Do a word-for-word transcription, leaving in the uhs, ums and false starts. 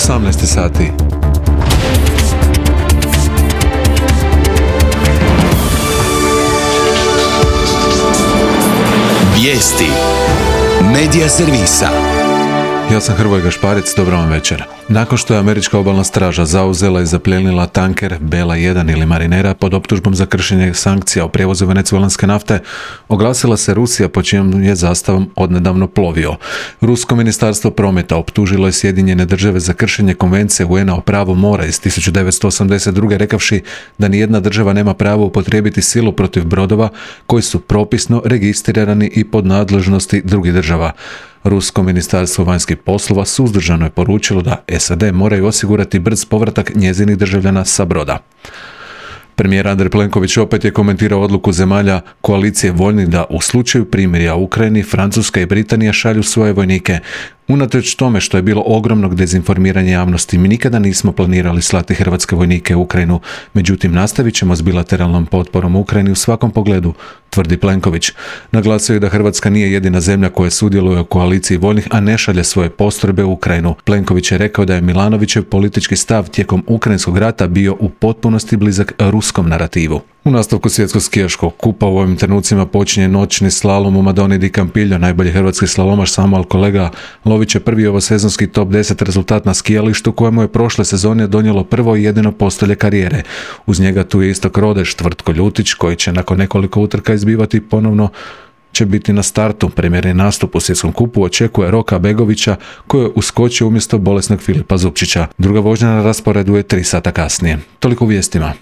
osamnaest sati. Vijesti Medija servisa. Ja sam Hrvoje Gašparec, dobro vam večer. Nakon što je američka obalna straža zauzela i zaplijenila tanker Bela jedan ili Marinera pod optužbom za kršenje sankcija o prijevozu venecuelanske nafte, oglasila se Rusija po čijom je zastavom odnedavno plovio. Rusko ministarstvo prometa optužilo je Sjedinjene države za kršenje konvencije U N A o pravu mora iz tisuću devetsto osamdeset druge rekavši da nijedna država nema pravo upotrijebiti silu protiv brodova koji su propisno registrirani i pod nadležnosti drugih država. Rusko ministarstvo vanjskih poslova suzdržano je poručilo da S A D moraju osigurati brz povratak njezinih državljana sa broda. Premijer Andrej Plenković opet je komentirao odluku zemalja koalicije voljnih da u slučaju primirja u Ukrajini Francuska i Britanija šalju svoje vojnike. Unatoč tome što je bilo ogromnog dezinformiranja javnosti, mi nikada nismo planirali slati hrvatske vojnike u Ukrajinu, međutim nastavit ćemo s bilateralnom potporom Ukrajini u svakom pogledu, tvrdi Plenković. Naglasio je da Hrvatska nije jedina zemlja koja sudjeluje u koaliciji voljnih, a ne šalje svoje postrojbe u Ukrajinu. Plenković je rekao da je Milanovićev politički stav tijekom ukrajinskog rata bio u potpunosti blizak ruskom narativu. U nastavku svjetskog skijaškog kupa u ovim trenucima počinje noćni slalom u Madoni di Campillo. Najbolji hrvatski slalomaš Samuel Kolega Lović je prvi ovosezonski top deset rezultat na skijalištu kojemu je prošle sezone donijelo prvo i jedino postolje karijere. Uz njega tu je Istok Rodeš, Tvrtko Ljutić koji će nakon nekoliko utrka izbivati ponovno će biti na startu. Premijerni nastup u svjetskom kupu očekuje Roka Begovića koji je uskočio umjesto bolesnog Filipa Zupčića. Druga vožnja na rasporedu je tri sata kasnije. Toliko u vijestima.